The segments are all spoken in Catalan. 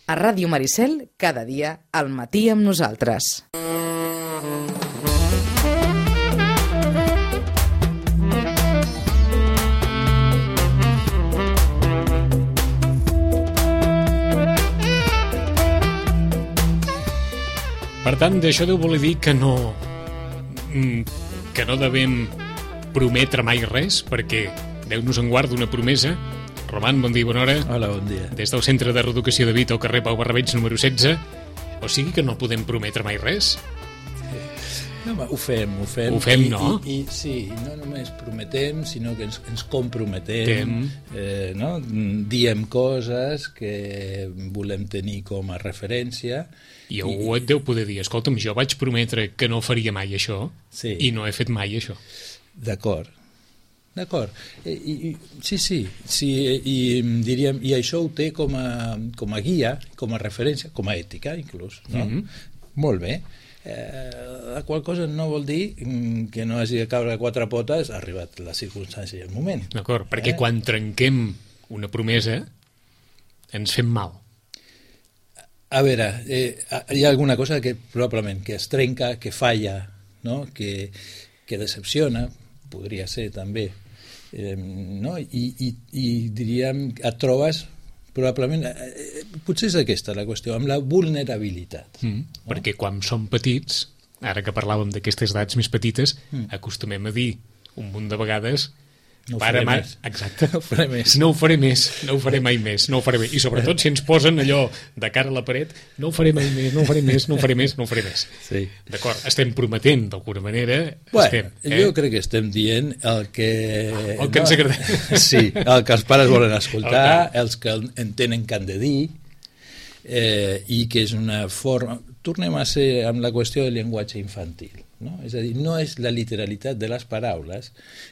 A Ràdio Maricel, cada dia, al matí amb nosaltres. Per tant, d'això deu voler dir que no devem prometre mai res, perquè Déu-nos en guarda una promesa. Roman, bon dia i bona hora. Hola, bon dia. Des del Centre de Reeducació de Vita al carrer Pau Barrabeig número 16. O sigui que no podem prometre mai res. No, ho fem. Ho fem, no? I sí, no només prometem, sinó que ens comprometem, no? Diem coses que volem tenir com a referència. I algú et deu poder dir, escolta'm, jo vaig prometre que no faria mai això, sí. I no he fet mai això. D'acord. Sí, i diríem, i això ho té com a guia, com a referència, com a ètica, inclús, no? Molt bé. La qual cosa no vol dir que no hagi de caure a quatre potes, ha arribat la circumstància i el moment. D'acord, perquè quan trenquem una promesa ens fem mal. A veure, hi ha alguna cosa que probablement que es trenca, que falla, no? que decepciona, podria ser també, no? I diríem, et trobes probablement, potser és aquesta la qüestió, amb la vulnerabilitat. No? Perquè quan som petits, ara que parlàvem d'aquestes edats més petites, acostumem a dir un munt de vegades no ho faré més. Exacte. No ho faré més. No ho faré mai més. I sobretot si ens posen allò de cara a la paret, no ho faré mai més, no ho faré més. Sí. D'acord, estem prometent d'alguna manera. Jo crec que estem dient el que ens agrada. Sí, el que els pares volen escoltar, els que entenen que han de dir, i que és una forma... Tornem a ser amb la qüestió del llenguatge infantil. No? És a dir, no és la literalitat de les paraules,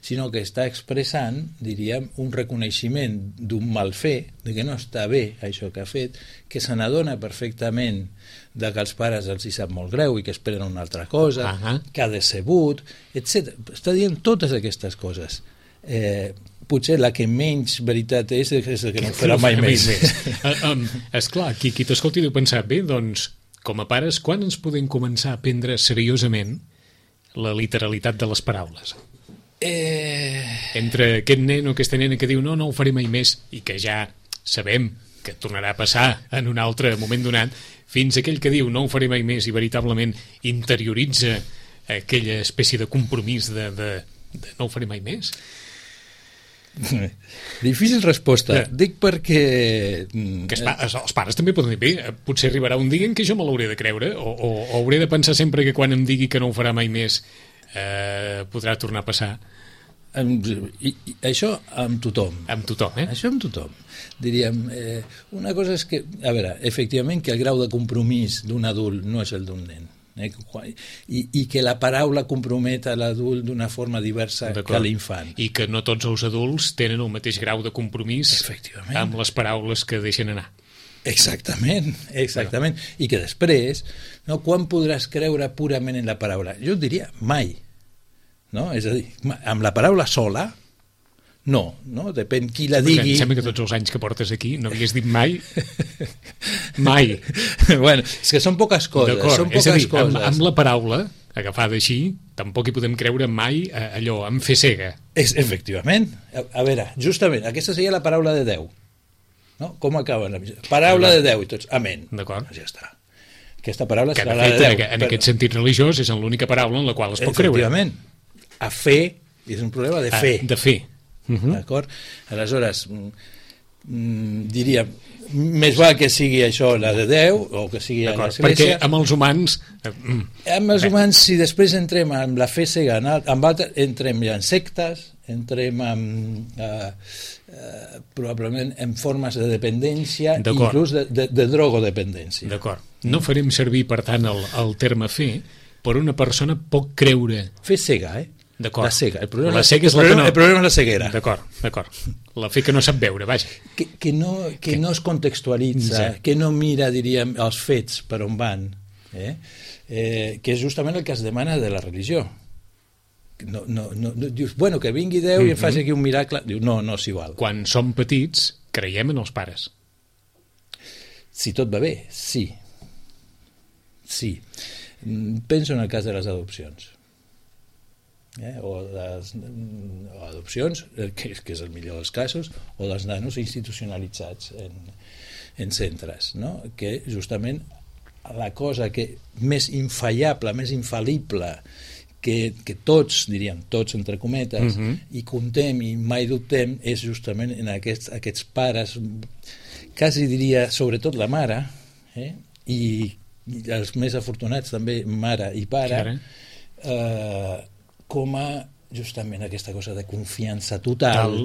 sinó que està expressant, diríem, un reconeixement d'un mal fer, de que no està bé això que ha fet, que se n'adona perfectament de que els pares els hi sap molt greu i que esperen una altra cosa, que ha decebut, etc. Està dient totes aquestes coses. Potser la que menys veritat és que no ho farà mai més. Esclar, qui t'escolti deu pensar, bé, doncs, com a pares, quan ens podem començar a prendre seriosament la literalitat de les paraules? Entre aquest nen o aquesta nena que diu no ho faré mai més, i que ja sabem que tornarà a passar en un altre moment donat, fins aquell que diu no ho faré mai més i veritablement interioritza aquella espècie de compromís de no ho faré mai més. Difícil resposta. Dic perquè... els pares també poden dir, bé, potser arribarà un dia en què jo me l'hauré de creure o hauré de pensar sempre que quan em digui que no ho farà mai més podrà tornar a passar. Això amb tothom. Amb tothom, Això amb tothom. Diríem, una cosa és que, a veure, efectivament que el grau de compromís d'un adult no és el d'un nen. I que la paraula compromet a l'adult d'una forma diversa que l'infant. I que no tots els adults tenen el mateix grau de compromís amb les paraules que deixen anar. Exactament. I que després, no, quan podràs creure purament en la paraula? Jo diria mai. No? És a dir, amb la paraula sola, no, depèn qui la digui. Em sembla que tots els anys que portes aquí no havies dit mai. Mai. Bueno, és que són poques coses. És a dir, amb la paraula agafada així, tampoc hi podem creure mai allò, en fer cega. Efectivament. A veure, justament, aquesta seria la paraula de Déu. No? Com acaba la missió? Paraula de Déu i tots. Amén. D'acord. Ja està. Aquesta paraula serà la de Déu. En aquest sentit religiós és l'única paraula en la qual es pot creure. Efectivament. A fer, és un problema de fer. De fer. D'acord? Aleshores, diríem, més val que sigui això la de Déu o que sigui l'Església. Perquè amb els humans... Amb els humans, si després entrem amb la fe cega, amb altres, entrem ja en sectes, entrem probablement en formes de dependència, inclús de drogodependència. D'acord. No farem servir, per tant, el terme fe, però una persona pot creure... Fe cega, D'acord. La cega. El problema és la ceguera. D'acord. La fe que no sap veure, vaja. Que no es contextualitza, que no mira, diríem, els fets per on van, que és justament el que es demana de la religió. No, dius, bueno, que vingui Déu i em faci aquí un miracle. Diu, no s'hi val. Quan som petits, creiem en els pares. Si tot va bé, sí. Sí. Penso en el cas de les adopcions. O adopcions, que és el millor dels casos, o dels nanos institucionalitzats en centres, no? Que justament la cosa que més infallable, més infal·lible que tots, diríem, tots entre cometes, i contem i mai dubtem, és justament en aquests pares, quasi diria sobretot la mare, i els més afortunats també mare i pare, com a justament aquesta cosa de confiança total,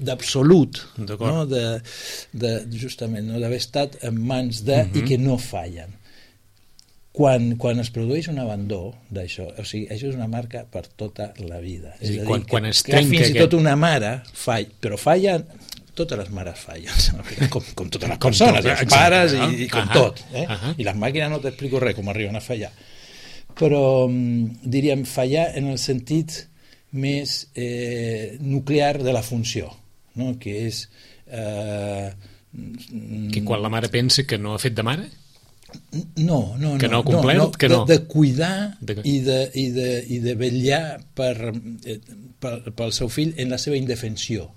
d'absolut, no? Justament no? D'haver estat en mans de i que no fallen. Quan es produeix un abandó d'això, o sigui, això és una marca per tota la vida. És a dir, quan es trenca fins i tot una mare falla, però fallen, totes les mares fallen, com totes les persones, els pares i com tot. I les màquines no t'explico res com arriben a fallar. Però diríem fallar en el sentit més nuclear de la funció, no? Que és que quan la mare pensa que no ha fet de mare? No, que no ha complert, que no. De cuidar i de vetllar pel seu fill en la seva indefensió.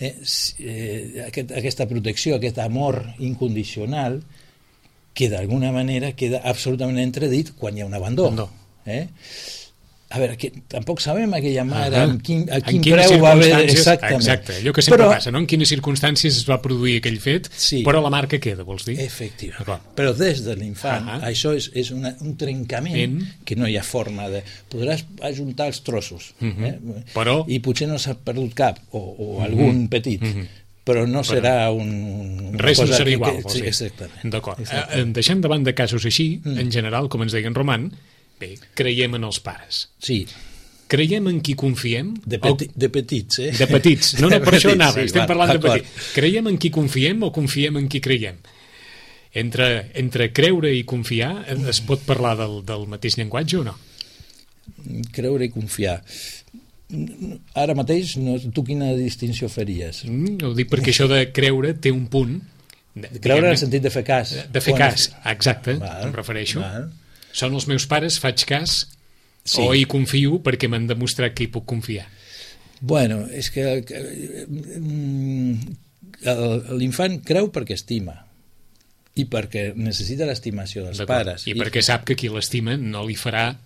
Aquesta protecció, aquest amor incondicional que d'alguna manera queda absolutament entredit quan hi ha un abandó. A veure, que tampoc sabem aquella mare a quin preu va haver exactament. Exacte, allò que sempre passa, no? En quines circumstàncies es va produir aquell fet, però la marca queda, vols dir? Efectivament. Però des de l'infant, això és un trencament que no hi ha forma de... Podràs ajuntar els trossos, i potser no s'ha perdut cap, o algun petit, però no serà un... Res no serà igual, vols dir? Exactament. D'acord. Deixem de banda casos així, en general, com ens deia en Roman, bé, creiem en els pares. Sí. Creiem en qui confiem? De petits, De petits. No, per això anava, estem parlant de petits. Creiem en qui confiem o confiem en qui creiem? Entre creure i confiar, es pot parlar del mateix llenguatge o no? Creure i confiar... Ara mateix, tu quina distinció faries? Ho dic perquè això de creure té un punt... Creure en el sentit de fer cas. De fer cas, exacte, em refereixo. Són els meus pares, faig cas, o hi confio perquè m'han demostrat que hi puc confiar? Bueno, és que l'infant creu perquè estima i perquè necessita l'estimació dels pares. I perquè sap que qui l'estima no li farà...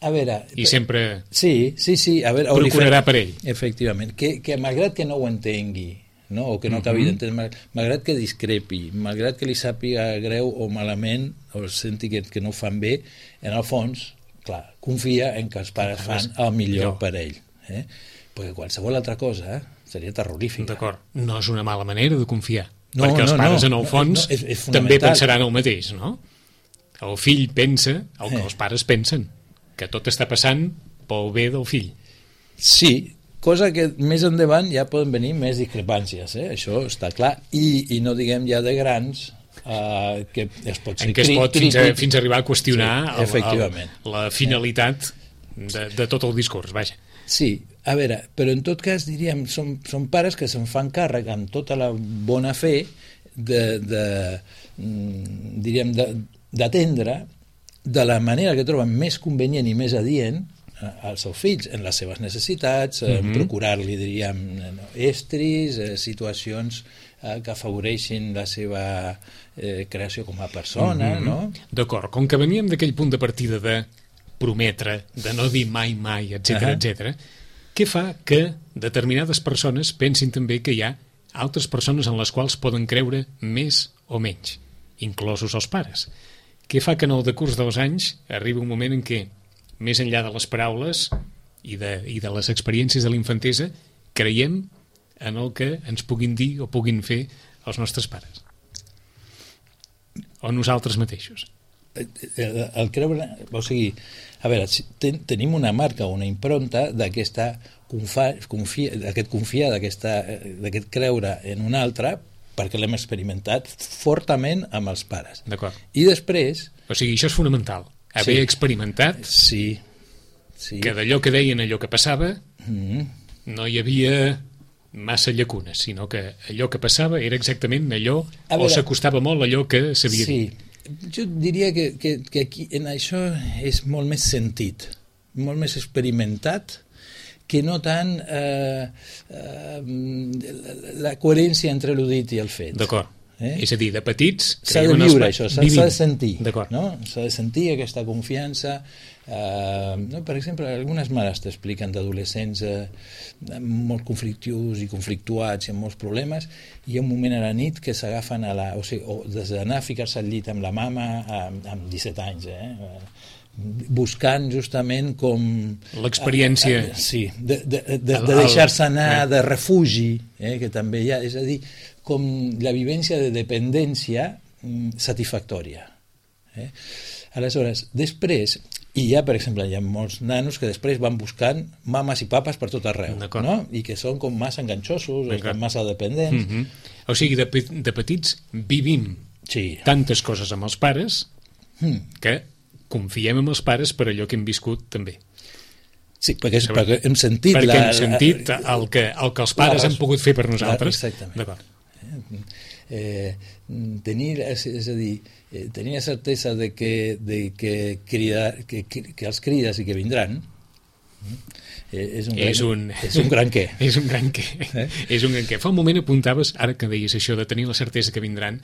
A veure... I sempre procurarà per ell. Efectivament. Que malgrat que no ho entengui, no? O que no acabi d'entendre, malgrat que discrepi, malgrat que li sàpiga greu o malament, o senti que no ho fan bé, en el fons, clar, confia en que els pares fan el millor per ell. Perquè qualsevol altra cosa seria terrorífica. D'acord. No és una mala manera de confiar. Perquè els pares, en el fons, també pensaran el mateix, no? El fill pensa el que els pares pensen, que tot està passant pel bé del fill. Sí, cosa que més endavant ja poden venir més discrepàncies, això està clar, i no diguem ja de grans, que es pot ser... En què es pot fins a arribar a qüestionar la finalitat de tot el discurs, vaja. Sí, a veure, però en tot cas diríem, són pares que se'n fan càrrec amb tota la bona fe d'atendre de la manera que troben més convenient i més adient als seus fills, en les seves necessitats, procurar-li, diríem, estris, situacions que afavoreixin la seva creació com a persona, no? D'acord, com que veníem d'aquell punt de partida de prometre, de no dir mai, etc., què fa que determinades persones pensin també que hi ha altres persones en les quals poden creure més o menys, inclosos els pares? Què fa que en el decurs dels anys arribi un moment en què, més enllà de les paraules i de les experiències de la infantesa, creiem en el que ens puguin dir o puguin fer els nostres pares? O nosaltres mateixos? El creure... O sigui, a veure, tenim una marca, una impronta d'aquest confiar, d'aquest creure en un altre, perquè l'hem experimentat fortament amb els pares. D'acord. I després... O sigui, això és fonamental. Haver experimentat que d'allò que deien, allò que passava, no hi havia massa llacunes, sinó que allò que passava era exactament allò, A veure, o s'acostava molt a allò que s'havia dit. Sí, jo diria que aquí en això és molt més sentit, molt més experimentat, que no tant la coherència entre el dit i el fet. D'acord. És a dir, de petits... S'ha de viure això, s'ha de sentir. D'acord. No? S'ha de sentir aquesta confiança. No? Per exemple, algunes mares t'expliquen d'adolescents molt conflictius i conflictuats i amb molts problemes, i hi ha un moment a la nit que s'agafen o des d'anar a ficar-se al llit amb la mama amb 17 anys, buscant justament com... L'experiència... Sí, de deixar-se anar, de refugi, que també hi ha, és a dir, com la vivència de dependència satisfactòria. Aleshores, després, i hi ha, per exemple, hi ha molts nanos que després van buscant mames i papes per tot arreu, no? I que són com massa enganxosos, o massa dependents. O sigui, de petits vivim tantes coses amb els pares que confiem en els pares per allò que hem viscut també. Sí, perquè hem sentit... Perquè hem sentit el que els pares han pogut fer per nosaltres. Exactament. D'acord. Tenir la certesa de que els crides i que vindran és un gran què. És un gran què. És un gran què. Fa un moment apuntaves, ara que deies això de tenir la certesa que vindran,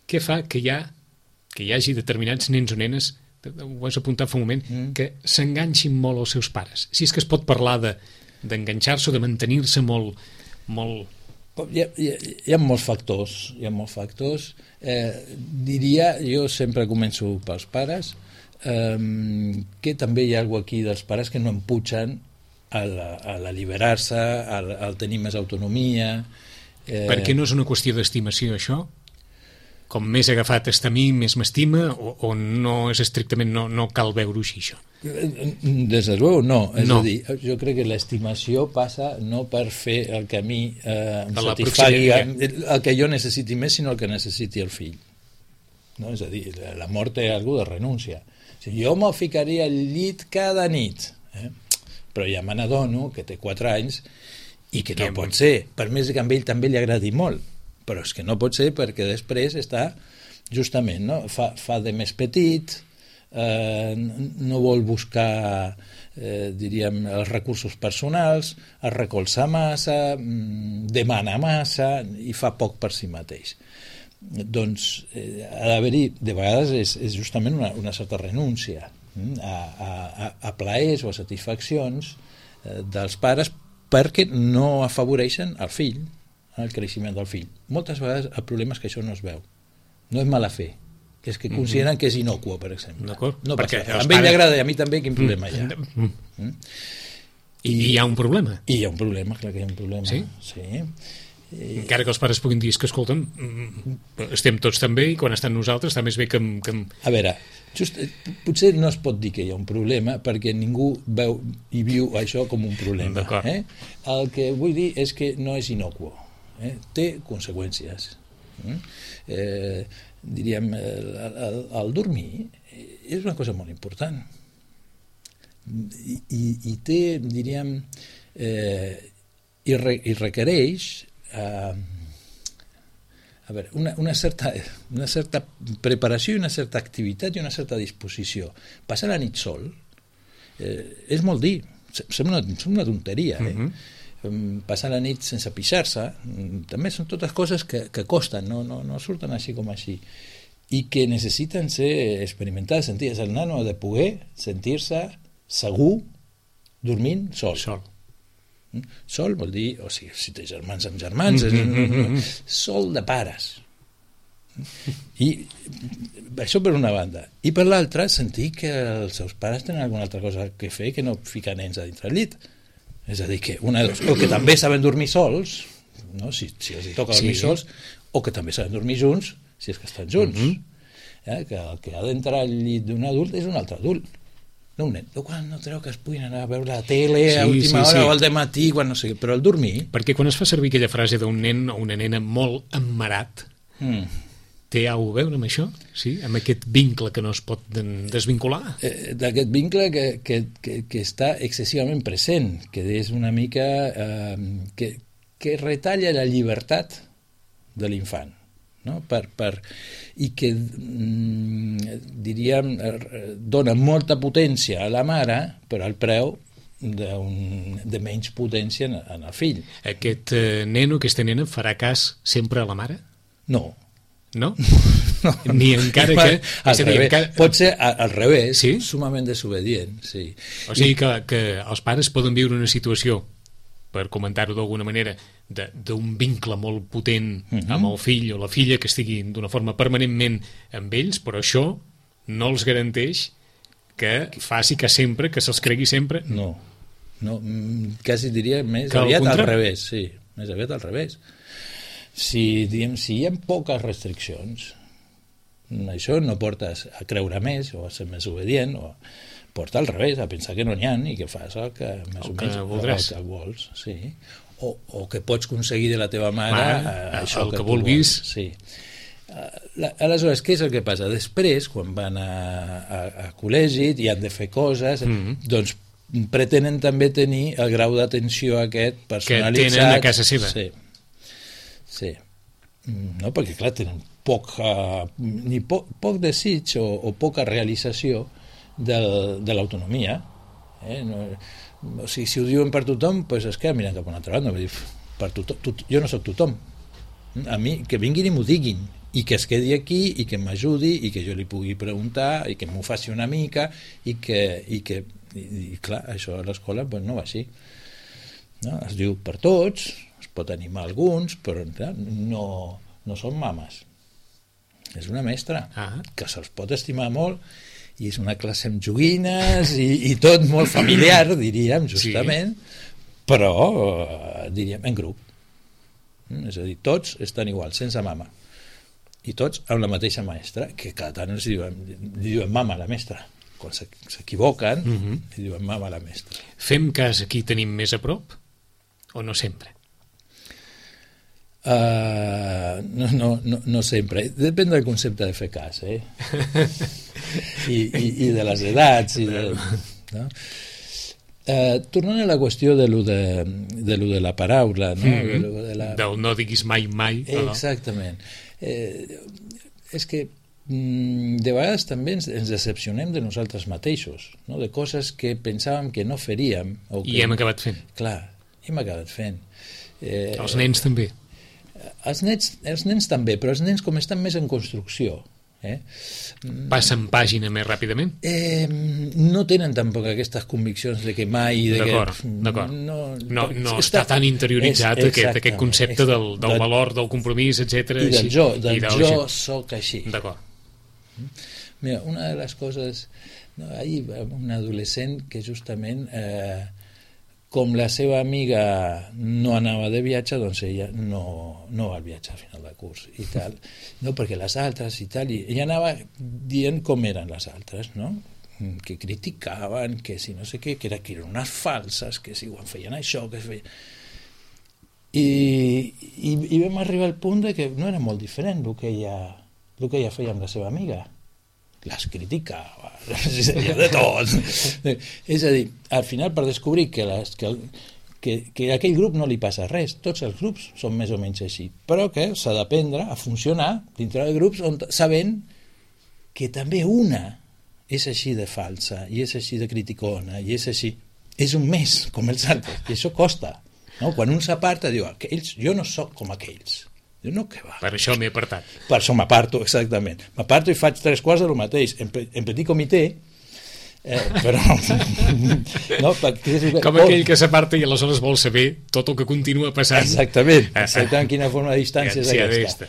què fa que hi hagi determinats nens o nenes, ho has apuntat fa un moment, que s'enganxin molt als seus pares? Si és que es pot parlar d'enganxar-se o de mantenir-se molt... Hi ha molts factors. Diria, jo sempre començo pels pares, que també hi ha alguna cosa aquí dels pares que no empugen a l'alliberar-se, al tenir més autonomia. Perquè no és una qüestió d'estimació, això? Com més agafat està a mi, més m'estima, o no és estrictament, no cal veure-ho així, això? Des de luego, no. És a dir, jo crec que l'estimació passa no per fer el que a mi em satisfagui, el que jo necessiti més, sinó el que necessiti el fill. No? És a dir, la mort té alguna de renúncia. O sigui, jo me'l ficaria al llit cada nit, però ja me n'adono que té 4 anys i que no pot ser, per més que a ell també li agradi molt, però és que no pot ser perquè després està justament, no? Fa de més petit, no vol buscar diríem els recursos personals, es recolza massa, demana massa i fa poc per si mateix. Doncs ha d'haver-hi, de vegades és justament una certa renúncia a plaers o a satisfaccions dels pares perquè no afavoreixen el fill, el creixement del fill. Moltes vegades el problema és que això no es veu. No és mala fe, que és que consideren que és inocuo, per exemple. No passa. A ell li agrada i a mi també, quin problema hi ha? I hi ha un problema. I hi ha un problema, clar que hi ha un problema. Sí? Sí. Encara que els pares puguin dir que, escolta'm, estem tots també i quan estan nosaltres està més bé que... A veure, potser no es pot dir que hi ha un problema perquè ningú veu i viu això com un problema. El que vull dir és que no és inocuo. Té conseqüències. Diríem, el dormir és una cosa molt important i té, diríem, i requereix una certa preparació i una certa activitat i una certa disposició. Passar la nit sol és molt dir, sembla una tonteria, passar la nit sense pixar-se també són totes coses que costen, no surten així com així i que necessiten ser experimentades, sentides. El nano ha de poder sentir-se segur dormint sol. Sol vol dir, o sigui, si té germans amb germans, sol de pares. I això per una banda. I per l'altra, sentir que els seus pares tenen alguna altra cosa que fer que no ficar nens a dintre el llit. És a dir, que o que també saben dormir sols, no? si els toca dormir sols, o que també saben dormir junts, si és que estan junts. Que el que ha d'entrar al llit d'un adult és un altre adult, no un nen. Quan no treu que es puguin anar a veure la tele a última hora o al dematí, quan no sé, però el dormir... Perquè quan es fa servir aquella frase d'un nen o una nena molt emmarat, té alguna a veure amb això? Sí? Amb aquest vincle que no es pot desvincular? D'aquest vincle que està excessivament present, que és una mica... que que retalla la llibertat de l'infant, no? I que, diríem, dona molta potència a la mare, però al preu de menys potència en el fill. Aquest neno, aquesta nena, farà cas sempre a la mare? No. No? No. Ni encara que... Pot ser al revés, sí? sumament desobedient, sí. O sigui que els pares poden viure una situació, per comentar-ho d'alguna manera, d'un vincle molt potent amb el fill o la filla que estigui d'una forma permanentment amb ells, però això no els garanteix que faci que sempre, que se'ls cregui sempre. No, quasi diria més aviat al revés, sí, més aviat al revés. Si hi ha poques restriccions, això no porta a creure més o a ser més obedient, o porta al revés, a pensar que no n'hi ha i que fas el que més o menys el que vols, sí. O que pots aconseguir de la teva mare això el que vulguis. Sí. Aleshores, què és el que passa? Després, quan van a col·legi i han de fer coses, doncs pretenen també tenir el grau d'atenció aquest personalitzat que tenen a casa seva. Sí. No, perquè clar, tenen poc desig o poca realització de l'autonomia. O sigui, si ho diuen per tothom, doncs es queden mirant cap a una altra banda. Jo no soc tothom. A mi, que vinguin i m'ho diguin, i que es quedi aquí, i que m'ajudi, i que jo li pugui preguntar, i que m'ho faci una mica, i clar, això a l'escola no va així. No? Es diu per tots, es pot animar alguns, però clar, no són mames. És una mestra que se'ls pot estimar molt, i és una classe amb joguines i tot molt familiar, diríem, justament, però diríem en grup. És a dir, tots estan igual, sense mama, i tots amb la mateixa mestra, que cada tant li diuen mama a la mestra. Quan s'equivoquen, li diuen mama a la mestra. Fem cas aquí tenim més a prop o no sempre? No sempre. Depèn del concepte de fer cas, i de les edats, no? Tornant a la qüestió de lo de la paraula, no? Del no diguis mai. Exactament. És que de vegades també ens decepcionem de nosaltres mateixos, no? De coses que pensàvem que no faríem i hem acabat fent. Clar, hem acabat fent. Els nens també. Els nens també, però els nens com estan més en construcció, passen pàgina més ràpidament? No tenen tampoc aquestes conviccions de que mai... D'acord. No està tan interioritzat aquest concepte del valor, del compromís, etc. I del jo soc així. D'acord. Mira, una de les coses... Ahir un adolescent que justament... com la seva amiga no anava de viatge, doncs ella no va al viatge al final del curs i tal, no, perquè les altres i tal, i ella anava dient com eren les altres, no? Que criticaven, que si no sé què, que eren unes falses, que si ho feien això, que es feien... I vam arribar al punt de que no era molt diferent el que ella feia amb la seva amiga. Les criticava, de tot. És a dir, al final, per descobrir que a aquell grup no li passa res, tots els grups són més o menys així, però que s'ha d'aprendre a funcionar dintre de grups sabent que també una és així de falsa, i és així de criticona, i és així. És un més, com els altres, i això costa. No? Quan un s'aparta, diu, jo no sóc com aquells. Diu, no, què va? Per això m'he apartat. Per això m'aparto, exactament. M'aparto i faig 3 quarts de lo mateix, en petit comitè, però... no, com aquell que s'aparta i aleshores vol saber tot el que continua passant. Exactament, quina forma de distància és aquesta.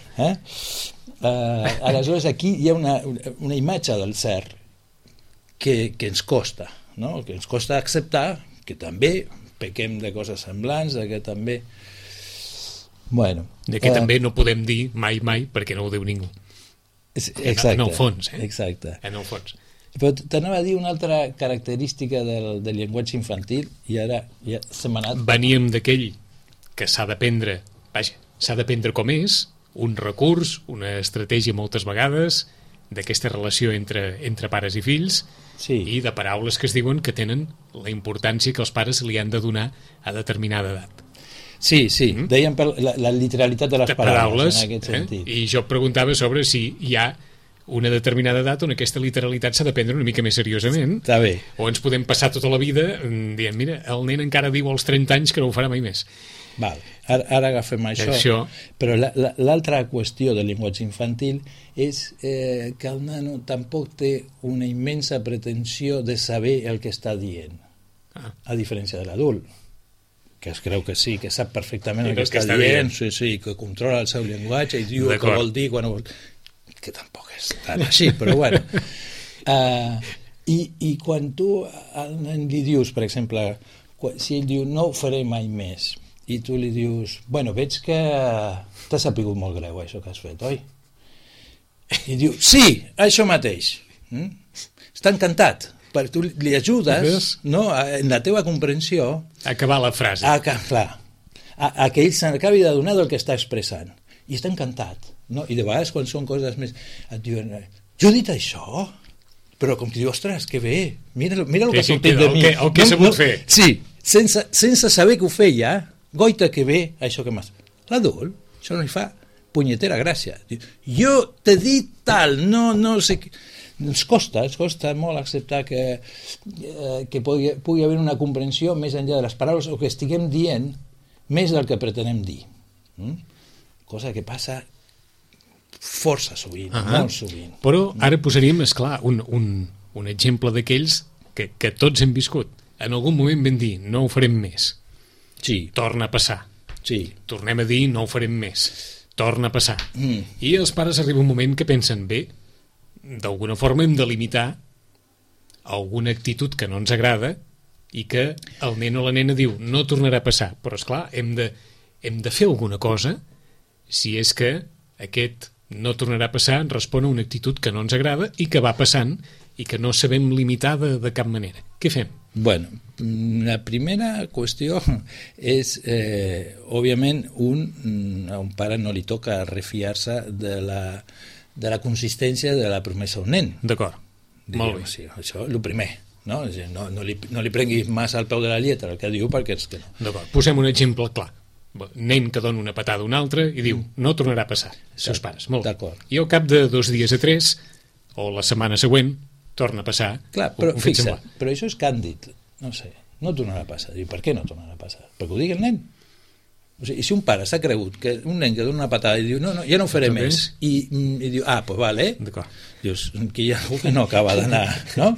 Aleshores, aquí hi ha una imatge del cert que ens costa, no? Que ens costa acceptar que també pequem de coses semblants, que també... Bueno, que també no podem dir mai perquè no ho diu ningú. Exacte. En el fons. Exacte. En el fons. Però t'anava a dir una altra característica del llenguatge infantil i ara ja se m'ha anat... Veníem d'aquell que s'ha d'aprendre com és, un recurs, una estratègia moltes vegades, d'aquesta relació entre pares i fills, i de paraules que es diuen que tenen la importància que els pares li han de donar a determinada edat. Sí, dèiem per la literalitat de les paraules, en aquest sentit. I jo preguntava sobre si hi ha una determinada edat on aquesta literalitat s'ha de prendre una mica més seriosament. Està bé. O ens podem passar tota la vida dient, mira, el nen encara diu als 30 anys que no ho farà mai més. Val. Ara agafem això. Però l'altra qüestió del llenguatge infantil és que el nano tampoc té una immensa pretensió de saber el que està dient, a diferència de l'adult, que es creu que sí, que sap perfectament el que està dient, sí, que controla el seu llenguatge i diu el que vol dir quan ho vol... que tampoc és tan així, però bueno. I quan tu al nen li dius, per exemple, si ell diu no ho faré mai més, i tu li dius, bueno, veig que t'ha sapigut molt greu això que has fet, oi? I diu, sí, això mateix. Està encantat, perquè tu li ajudes, no, en la teva comprensió a acabar la frase. Clar, a que ell s'acabi d'adonar del que està expressant. I està encantat. No? I de vegades quan són coses més et diuen, jo he dit això, però com que diu, ostres, que bé, mira el que ha sortit de mi, el que he sabut fer. Sí, sense saber que ho feia, goita que bé això que m'has... L'adult, això no li fa punyetera gràcia. Jo t'he dit tal, no sé què. Ens costa molt acceptar que pugui haver una comprensió més enllà de les paraules o que estiguem dient més del que pretenem dir. Cosa que passa força sovint, molt sovint. Però ara posaríem, esclar, un exemple d'aquells que tots hem viscut. En algun moment vam dir, no ho farem més. Sí. Torna a passar. Sí. Tornem a dir, no ho farem més. Torna a passar. I els pares arriba un moment que pensen, bé, d'alguna forma hem de limitar alguna actitud que no ens agrada i que el nen o la nena diu, no tornarà a passar. Però, esclar, hem de fer alguna cosa si és que aquest no tornarà a passar respon a una actitud que no ens agrada i que va passant i que no sabem limitar de cap manera. Què fem? Bueno, la primera qüestió és, òbviament, a un pare no li toca refiar-se de la consistència de la promesa a un nen. D'acord, molt bé. Sí, això és el primer. No li prenguis massa al peu de la lletra el que diu perquè és que no. D'acord, posem un exemple clar. Nen que dona una patada a un altre i diu, no tornarà a passar, els seus pares. Molt bé. I al cap de 2 dies a 3 o la setmana següent torna a passar. Clar, però fixa't, però això és càndid, no sé, no tornarà a passar. Diu, per què no tornarà a passar? Perquè ho digui el nen. O sigui, si un pare s'ha cregut que un nen que dona una patada i diu, no, ja no ho faré més, i diu, pues vale, dius, que hi ha algú que no acaba d'anar, no?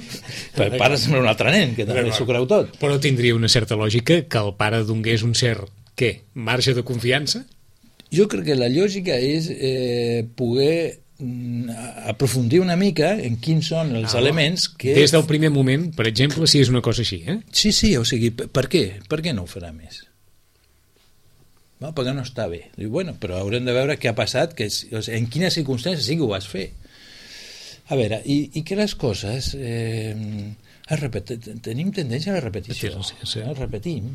El pare sembla un altre nen, que també s'ho creu tot. Però tindria una certa lògica que el pare donés un cert, què, marge de confiança? Jo crec que la lògica és poder aprofundir una mica en quins són els elements que... Des del primer moment, per exemple, si és una cosa així, eh? Sí, o sigui, per què? Per què no ho farà més? Perquè no està bé. Diu, bueno, però haurem de veure què ha passat, en quines circumstàncies sí que ho vas fer. A veure, i que les coses tenim tendència a la repetició. Repetim.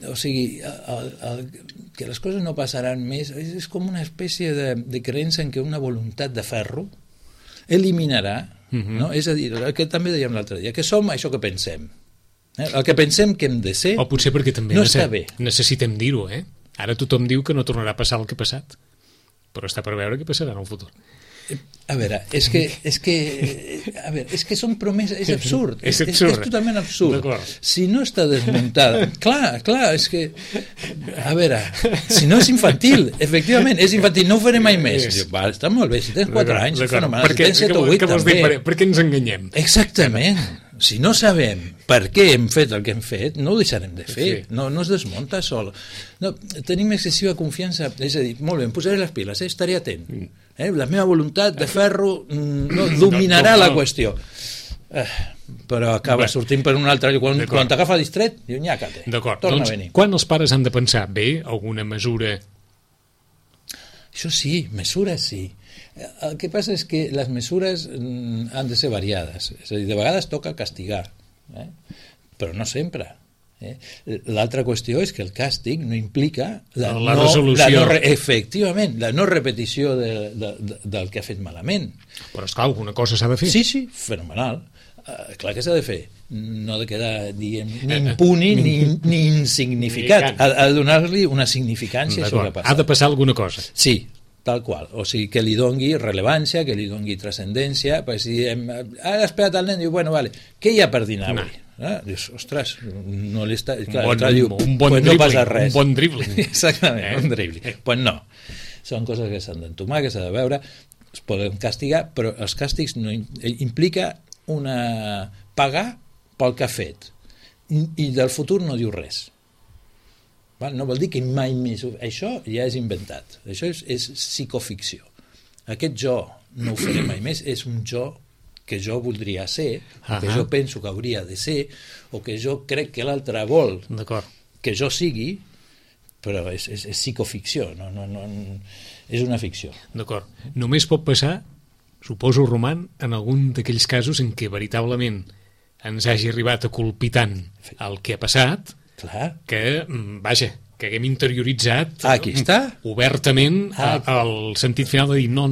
O sigui, que les coses no passaran més és com una espècie de creença en que una voluntat de ferro eliminarà, no? És a dir, el que també dèiem l'altre dia, que som això que pensem. El que pensem que hem de ser o potser perquè també no està bé. Necessitem dir-ho, Ara tothom diu que no tornarà a passar el que ha passat, però està per veure què passarà en el futur. A veure, és que són promeses, és absurd, és totalment absurd. Si no està desmuntada, clar, és que, a veure, si no és infantil, efectivament, és infantil, no ho faré mai més. Està molt bé, si tens 4 anys, fenomenal, si tens 7 o 8 també. Per què ens enganyem? Exactament. Si no sabem per què hem fet el que hem fet, no ho deixarem de fer, no es desmunta sol. No, tenim excessiva confiança, és a dir, molt bé, em posaré les piles, estaré atent. La meva voluntat de ferro dominarà la qüestió. Però acaba sortint per un altre lloc. Quan t'agafa distret, diu, nyàcate, torna a venir. Quan els pares han de pensar, bé, alguna mesura? Això sí, mesures sí. El que passa és que les mesures han de ser variades, és a dir, de vegades toca castigar, però no sempre. L'altra qüestió és que el càstig no implica la resolució. Efectivament, la no repetició del que ha fet malament. Però esclar, alguna cosa s'ha de fer. Sí, fenomenal. Clar que s'ha de fer, no ha de quedar, diguem, ni impuni ni insignificat, ha de donar-li una significància a això que passa. Ha de passar alguna cosa. Sí, tal qual, o sigui, que li dongui rellevància, que li dongui transcendència, perquè si diem, ha despegat el nen, diu, bueno, vale, què hi ha per dinar avui? Dius, ostres, no li està... Clar, un bon no passa res. Un bon dribbling. Exactament, un dribbling. Pues no, són coses que s'han d'entomar, que s'ha de veure, es poden castigar, però els càstigs no implica pagar pel que ha fet, i del futur no diu res. No vol dir que mai més... Això ja és inventat, això és psicoficció. Aquest jo no ho faré mai més, és un jo que jo voldria ser, que jo penso que hauria de ser, o que jo crec que l'altre vol que jo sigui, però és psicoficció, és una ficció. D'acord. Només pot passar, suposo, Roman, en algun d'aquells casos en què veritablement ens hagi arribat a colpitant el que ha passat, que, vaja, que haguem interioritzat obertament el sentit final de dir no,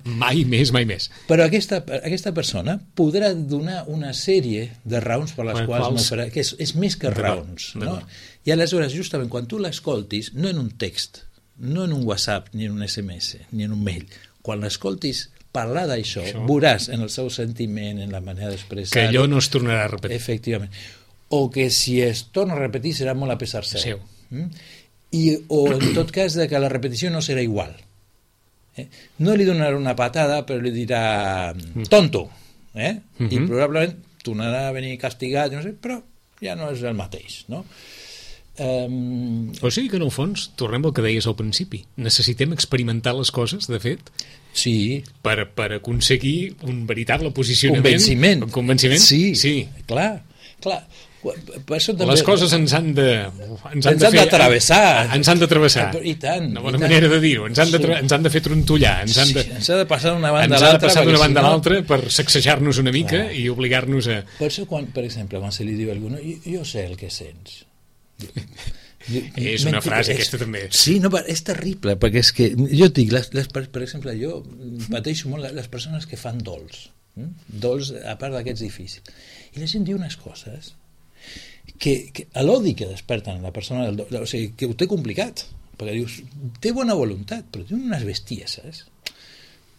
mai més. Però aquesta persona podrà donar una sèrie de raons per les quals no farà, que és més que raons, no? I aleshores, justament, quan tu l'escoltis, no en un text, no en un WhatsApp, ni en un SMS, ni en un mail, quan l'escoltis parlar d'això, veuràs en el seu sentiment, en la manera d'expressar... Que allò no es tornarà a repetir. Efectivament. O que si es torna a repetir serà molt a pesar seu. O en tot cas que la repetició no serà igual. No li donarà una patada, però li dirà tonto, i probablement tornarà a venir castigat, no sé, però ja no és el mateix, no? O sigui que en el fons, tornem al que deies al principi, necessitem experimentar les coses, de fet, per aconseguir un veritable posicionament, convenciment. Sí, clar. Per això també... Les coses ens han de travessar. Ens han de travessar. I tant. Una bona manera de dir-ho. Ens han de fer trontollar. Ens ha de passar d'una banda a l'altra per sacsejar-nos una mica i obligar-nos a... Per això, per exemple, quan se li diu a algú, jo sé el que sents. És una frase aquesta també. Sí, no, és terrible, perquè és que jo et dic, per exemple, jo pateixo molt les persones que fan dols, a part d'aquests difícils, i la gent diu unes coses que l'odi que desperten la persona del dol, o sigui, que ho té complicat, perquè dius, té bona voluntat, però té unes bestieses.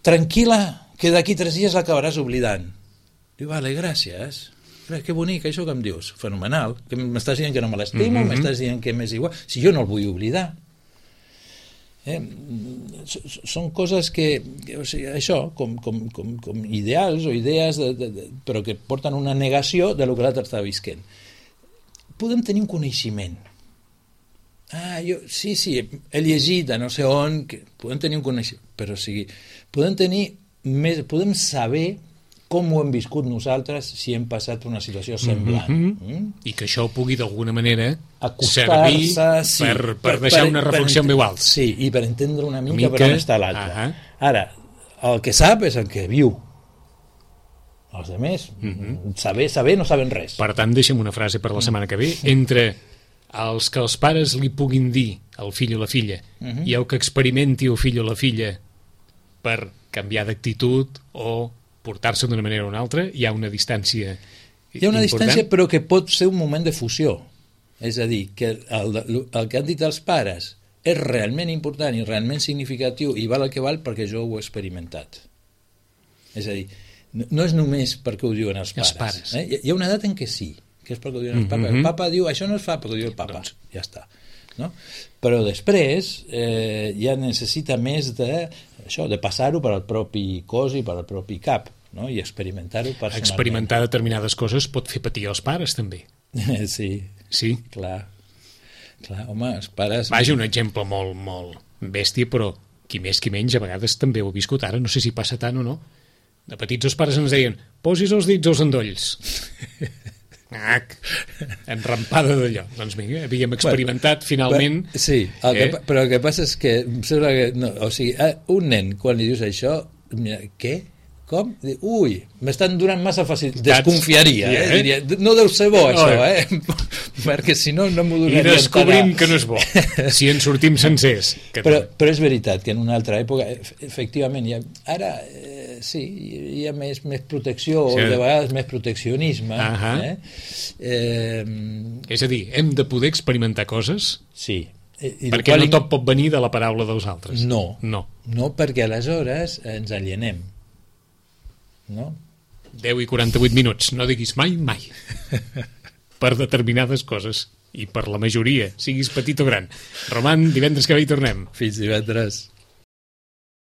Tranquil·la, que d'aquí 3 dies l'acabaràs oblidant. Diu, vale, gràcies. Que bonic, això que em dius, fenomenal, que m'estàs dient que no me l'estimo, m'estàs dient que m'és igual, si jo no el vull oblidar. Són coses que o sigui, això, com ideals o idees, però que porten una negació de lo que l'altre està visquent. Podem tenir un coneixement. Sí, he llegit a no sé on, podem tenir un coneixement, però o sigui, podem saber com ho hem viscut nosaltres si hem passat una situació semblant. I que això pugui d'alguna manera servir per deixar una reflexió en veu alta. Sí, i per entendre una mica per on està l'altre. Ara, el que sap és el que viu. Els altres, saber no saben res. Per tant, deixa'm una frase per la setmana que ve. Entre els que els pares li puguin dir al fill o la filla i el que experimenti el fill o la filla per canviar d'actitud o portar-se d'una manera o una altra, hi ha una distància important. Hi ha una distància, però que pot ser un moment de fusió. És a dir, que el que han dit els pares és realment important i realment significatiu i val el que val perquè jo ho he experimentat. És a dir, no és només perquè ho diuen els pares. Hi ha una edat en què sí, que és perquè ho diuen els pares. El papa diu, això no es fa perquè ho diu el papa. Ja està. No? Però després ja necessita més de passar-ho per al propi cos i per al propi cap, no? I experimentar-ho personalment. Experimentar determinades coses pot fer patir els pares també. Sí, clar, home, els pares... Vaja, un exemple molt bèstia, però qui més qui menys a vegades també ho he viscut ara, no sé si passa tant o no. De petits els pares ens deien, posis els dits als endolls. Enrampada d'allò. Doncs vinga, havíem experimentat finalment. Sí, però el que passa és que em sembla que o sigui, un nen quan li dius això, què? Com? Ui, m'estan donant massa fàcil, desconfiaria, diria, no deu ser bo això, perquè si no m'ho donaria. I descobrim que no és bo si en sortim sencers. Però és veritat que en una altra època efectivament ara Sí, hi ha més protecció, Sí. o de vegades més proteccionisme. És a dir, hem de poder experimentar coses Sí. I perquè no tot pot venir de la paraula dels altres. No, No. perquè aleshores ens alienem. No? 10 i 48 minuts, no diguis mai, mai. Per determinades coses. I per la majoria, siguis petit o gran. Roman, divendres que ve hi tornem. Fins divendres.